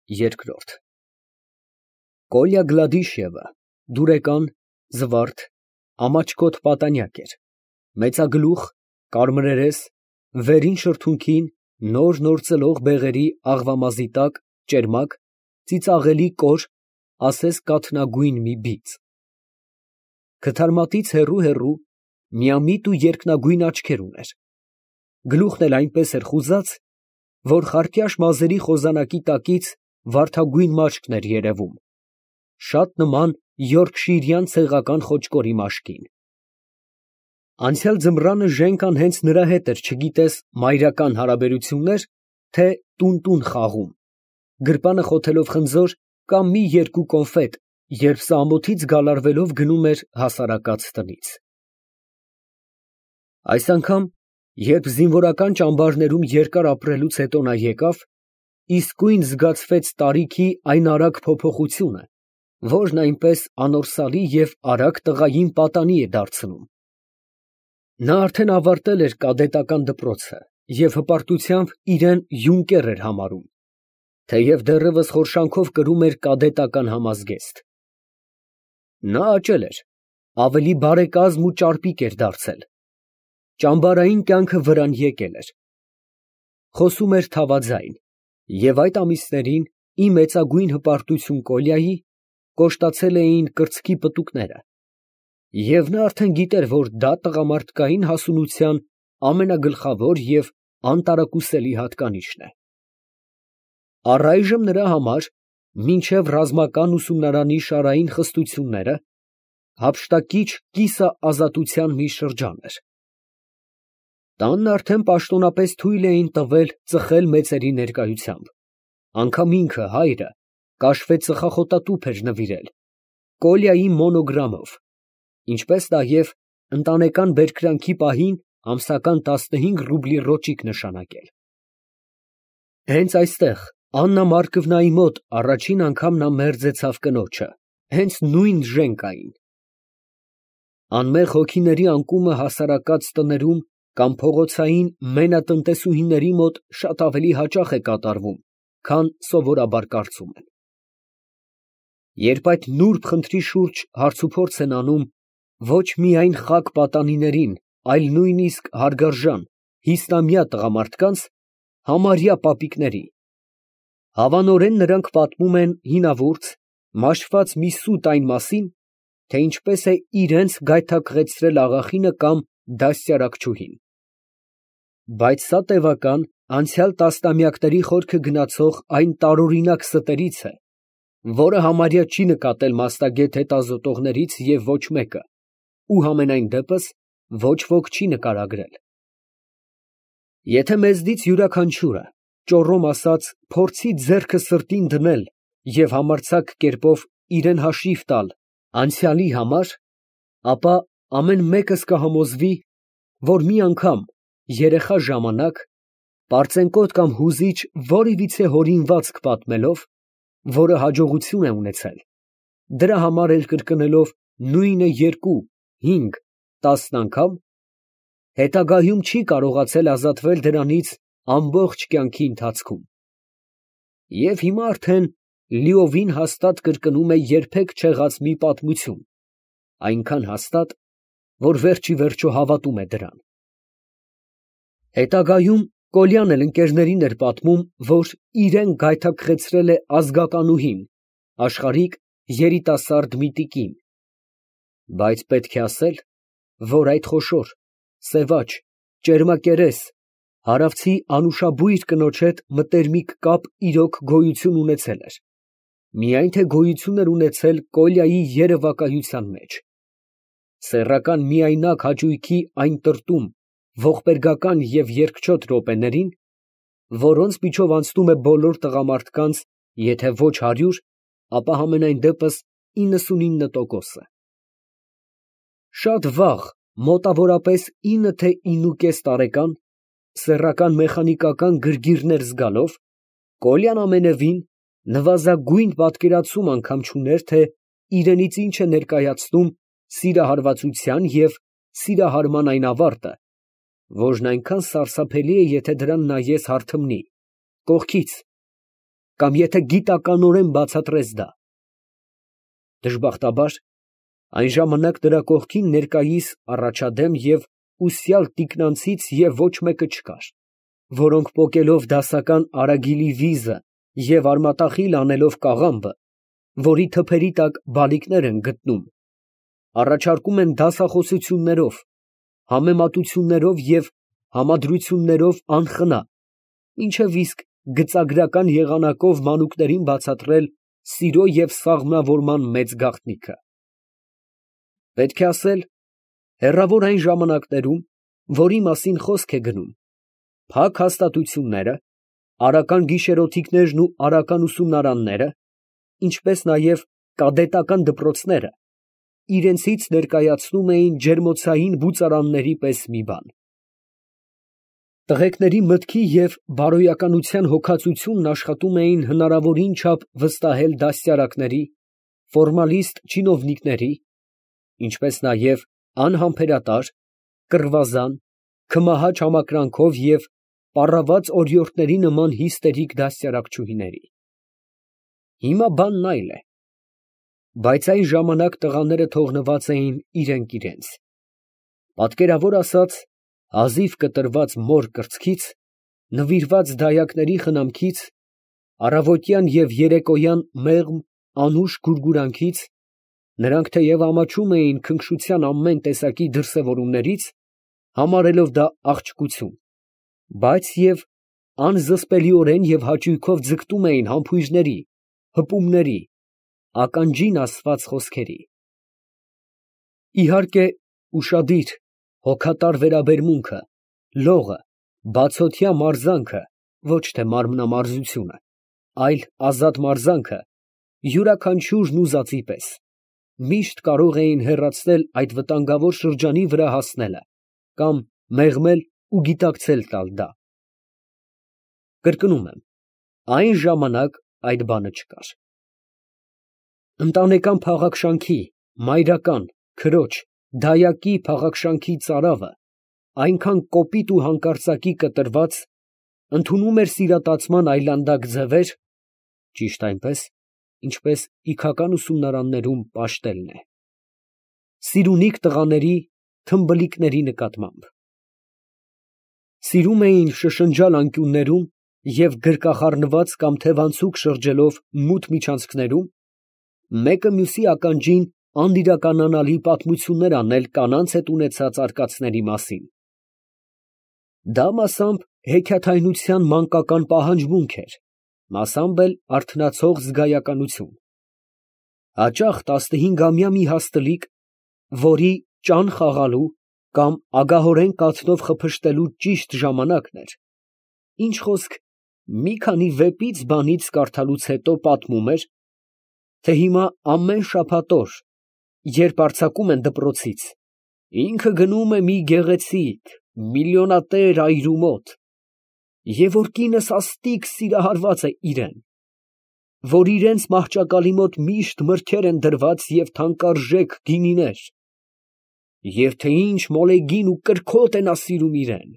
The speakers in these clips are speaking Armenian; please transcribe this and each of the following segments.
Երկրորդ Կոլյա Գլադիշևը դուրեկան, զվարթ, ամաչկոտ պատանյակ էր, մեծագլուխ, կարմրերես, վերին շրթունքին նոր ծլող բեղերի աղվամազի տակ ճերմակ, ծիծաղելի կոր, ասես կաթնագույն մի բիծ։ Քթարմատից հեռու միամիտ ու երկնագույն աչքեր ուներ, գլուխն էլ այնպես էր խուզած, որ խարտյաշ մազերի խոզանակի տակից վարդագույն մաշկն էր երևում, շատ նման յորքշիրյան ցեղական խոճկորի մաշկին։ Անցյալ ձմռանը Ժենկան հենց նրա հետ էր չգիտես մայրական հարաբերություններ, թե տուն խաղում, գրպանը խոթելով խնձոր կամ մի երկու կոնֆետ, երբ սա ամոթից գալարվելով գնում էր հասարակած տնից։ Այս անգամ, երբ զինվորական ճամբարներում երկար ապրելուց հետո նա եկավ, իսկույն զգացվեց տարիքի այն արագ փոփոխությունը, որն այնպես անորսալի և արագ տղային պատանի է դարձնում։ Նա արդեն ավարտել էր կադետական դպրոցը և հպարտությամբ իրան յունկեր էր համարում, թեև դեռևս խորշանքով կրում էր կադետական համազգեստ։ Նա աճել էր, ավելի բարեկազմ ու ճարպիկ էր դարձել, ճամբարային կյանքը վրան եկել էր, խոսում էր թավաձայն, և այդ ամիսներին, ի մեծագույն հպարտություն Կոլյայի, կոշտացել էին կրծքի պտուկները, և նա արդեն գիտեր, որ դա տղամարդկային հասունության ամենագլխավոր և անտարակուսելի հատկանիշն է։ Առայժմ նրա համար, մինչև ռազմական ուսումնարանի շարային խստությունները, հափշտակիչ կիսաազատության մի շրջան էր։ Տանն արդեն պաշտոնապես թույլ էին տվել ծխել մեծերի ներկայությամբ, անգամ ինքը, հայրը, կաշվե ծխախոտատուփ էր նվիրել, Կոլյայի մոնոգրամով, ինչպես նաև ընտանեկան բերկրանքի պահին ամսական 15 ռուբլի ռոճիկ նշանակել։ Հենց այստեղ, Աննա Մարկվնայի մոտ առաջին անգամ նա մերձեցավ կնոջը, հենց նույն Ժենկային։ Անմեղ հոգիների անկումը հասարակած տներում կամ փողոցային մենատնտեսուհիների մոտ շատ ավելի հաճախ է կատարվում, քան սովորաբար կարծում են։ Երբ այդ նուրբ խնդրի շուրջ հարցուփորձ են անում ոչ միայն խաք պատանիներին, այլ նույնիսկ հարգարժան, հիսնամյա տղամարդկանց, համարյա պապիկների, հավանորեն նրանք պատմում են հինավուրց, մաշված մի սուտ այն մասին, թե ինչպես է իրենց գայթակղեցրել աղախինը կամ դաստիարակչուհին։ Բայց սա տևական, անցյալ տասնամյակների խորքը գնացող այն տարօրինակ ստերից է, որը համարյա չի նկատել մասնագետ հետազոտողներից և ոչ մեկը, ու համենայն դեպս ոչ ոք չի նկարագրել։ Եթե մեզնից յուրաքանչյուրը, ճոռոմ ասած, փորձի ձեռքը սրտին դնել և համարձակ կերպով իրան հաշիվ տալ անցյալի համար, ապա ամեն մեկս կհամոզվի, որ մի անգամ, երեխա ժամանակ, պարծենկոտ կամ հուզիչ որևիցե հորինվածք պատմելով, որը հաջողություն է ունեցել, դրա համար էլ կրկնելով նույնը 2, 5, 10 անգամ, հետագայում չի կարողացել ազատվել դրանից ամբողջ կյանքի ընթացքում։ Եվ հիմա արդեն լիովին հաստատ կրկնում է երբեք չեղած մի պատմություն, այնքան հաստատ, որ վերջիվերջո հավատում է դրան։ Հետագայում Կոլյան էլ ընկերներին էր պատմում, որ իրան գայթակղեցրել է ազգականուհին, աշխարհիկ երիտասարդ մի տիկին, բայց պետք է ասել, որ այդ խոշոր, սևաճ, ճերմակերես, հարավցի անուշաբույր կնոջ հետ մտերմիկ կապ իրոք գոյություն ունեցել էր, միայն թե գոյություն էր ունեցել Կոլյայի երևակայության մեջ, սեռական միայնակ հաճույքի այն տրտում, ողբերգական և երկչոտ րոպեներին, որոնց միջով անցնում է բոլոր տղամարդկանց, եթե ոչ 100, ապա համենայն դեպս 99%-ը։ Շատ վաղ, մոտավորապես 9 թե 9,5 տարեկան, սեռական մեխանիկական գրգիռներ զգալով, Կոլյան ամենևին նվազագույն պատկերացում անգամ չուներ, թե իրենից ինչ է ներկայացնում սիրահարվածության և սիրահարման այն ավարտը, որն այնքան սարսափելի է, եթե դրան նայես հարթմնի, կողքից, կամ եթե գիտականորեն բացատրես դա։ Դժբախտաբար, այն ժամանակ նրա կողքին ներկայիս առաջադեմ և ուսյալ տիկնանցից և ոչ մեկը չկար, որոնք պոկելով դասական արագիլի վիզը և արմատախիլ անելով կաղամբը, որի թփերի տակ բալիկներ են գտնում, առաջարկում են դասախոսություններով, համեմատություններով և համադրություններով անխնա, մինչև իսկ գծագրական եղանակով մանուկներին բացատրել սիրո և սաղմնավորման մեծ գաղտնիքը։ Պետք է ասել, հեռավոր այն ժամանակներում, որի մասին խոսք է գնում, փակ հաստատությունները, արական գիշերօթիկներն ու արական ուսումնարանները, ինչպես նաև կադետական դպրոցները, իրենցից ներկայացնում էին ջերմոցային բուծարանների պես մի բան։ Տղեկների մտքի և բարոյականության հոգացությունն աշխատում էին հնարավորին չափ վստահել դաստիարակների, ֆորմալիստ չինովնիկների, ինչպես նաև անհամբերատար, կռվազան, քմահաճ համակրանքով և պառաված օրիորդների նման հիստերիկ դաստիարակչուհիների։ Հիմա բանն այլ է, բայց այն ժամանակ տղաները թողնված էին իրենք իրենց, պատկերավոր ասած, հազիվ կտրված մոր կրծքից, նվիրված դայակների խնամքից, առավոտյան և երեկոյան մեղմ անուշ գուրգուրանքից, նրանք թեև ամաչում էին քնքշության ամեն տեսակի դրսևորումներից, համարելով դա աղջկություն, բայց և անզսպելիորեն և հաճույքով ձգտում էին համբույրների, հպումների, ականջին ասված խոսքերի։ Իհարկե, ուշադիր, հոգատար վերաբերմունքը, լողը, բացօթյա մարզանքը, ոչ թե մարմնամարզությունը, այլ ազատ մարզանքը, յուրաքանչյուրն ուզածի պես, միշտ կարող էին հեռացնել այդ վտանգավոր շրջանի վրա հասնելը կամ մեղմել ու գիտակցել տալ դա։ Կրկնում եմ, այն ժամանակ այդ բանը չկար։ Ընտանեկան փաղաքշանքի, մայրական, քրոջ, դայակի փաղաքշանքի ծարավը այնքան կոպիտ ու հանկարծակի կտրված, ընդունում էր սիրատացման այլանդակ ձևեր, ճիշտ այնպես, ինչպես իգական ուսումնարաններում պաշտելն է, սիրունիկ տղաների, թմբլիկների նկատմամբ։ Սիրում էին շշնջալ անկյուններում և գրկախառնված կամ թևանցուկ շրջելով մութ միջանցքներում, մեկը մյուսի ականջին անիրականանալի պատմություններ անել կանանց հետ ունեցած արկածների մասին։ Դա մասամբ հեքիաթայնության մանկական պահանջմունք էր, մասամբ էլ արթնացող զգայականություն։ Հաճախ 15-ամյա մի հաստլիկ, որի ճան խաղալու կամ ագահորեն կաթնով խփշտելու ճիշտ ժամանակն էր, ինչ խոսք, մի քանի վեպից բանից կարդալուց հետո պատմում էր, թե հիմա ամեն շաբաթ օր, երբ արձակում են դպրոցից, ինքը գնում է մի գեղեցիկ, միլիոնատեր այրու մոտ, և որ կինը սաստիկ սիրահարված է իրան, որ իրանց մահճակալի մոտ միշտ մրգեր են դրված և թանկարժեք գինիներ, և թե ինչ մոլեգին ու կրքոտ է նա սիրում իրան։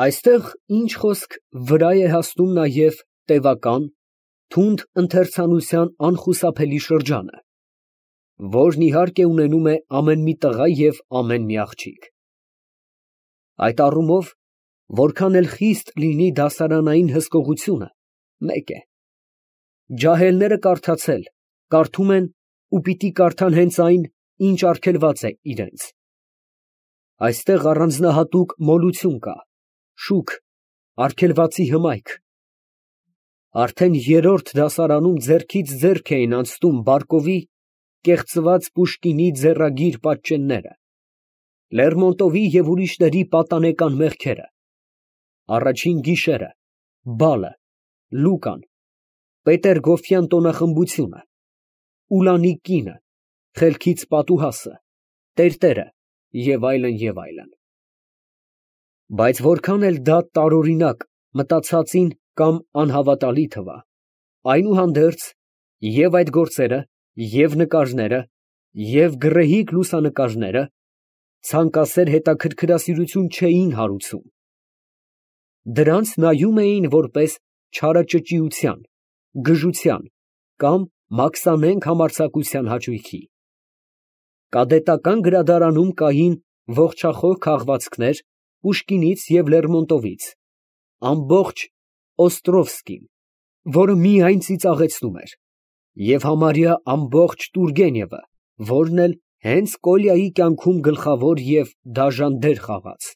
Այստեղ, ինչ խոսք, վրա է հասնում նաև տևական, թունդ ընթերցանության անխուսափելի շրջանը, որն իհարկե ունենում է ամեն մի տղա և ամեն մի աղջիկ։ Այդ առումով, որքան էլ խիստ լինի դասարանային հսկողությունը, մեկ է. ջահելները կարդացել, կարդում են ու պիտի կարդան հենց այն, ինչ արգելված է իրենց։ Այստեղ առանձնահատուկ մոլություն կա, շուք, արգելվածի հմայք։ Արդեն երրորդ դասարանում ձեռքից ձեռք էին անցնում Բարկովի կեղծված Պուշկինի ձեռագիր պատճենները, Լերմոնտովի և ուրիշների պատանեկան մեղքերը, Առաջին գիշերը, բալը, Լուկան, Պետեր֊Գոֆյան տոնախմբությունը, Ուլանի կինը, Խելքից պատուհասը, Տերտերը և այլն, և այլն։ Բայց որքան էլ դա տարօրինակ, մտածածին կամ անհավատալի թվա, այնուհանդերձ, և այդ գործերը, և նկարները, և գռեհիկ լուսանկարները ցանկասեր հետաքրքրասիրություն չէին հարուցում. դրանց նայում էին որպես չարաճճիության, գժության կամ մաքսանենգ համարձակության հաճույքի։ Կադետական գրադարանում կային ողջախոհ քաղվածքներ Պուշկինից և Լերմոնտովից, ամբողջ Օստրովսկին, որը միայն ծիծաղեցնում էր, և համարյա ամբողջ Տուրգենևը, որն էլ հենց Կոլյայի կյանքում գլխավոր և դաժան դեր խաղաց։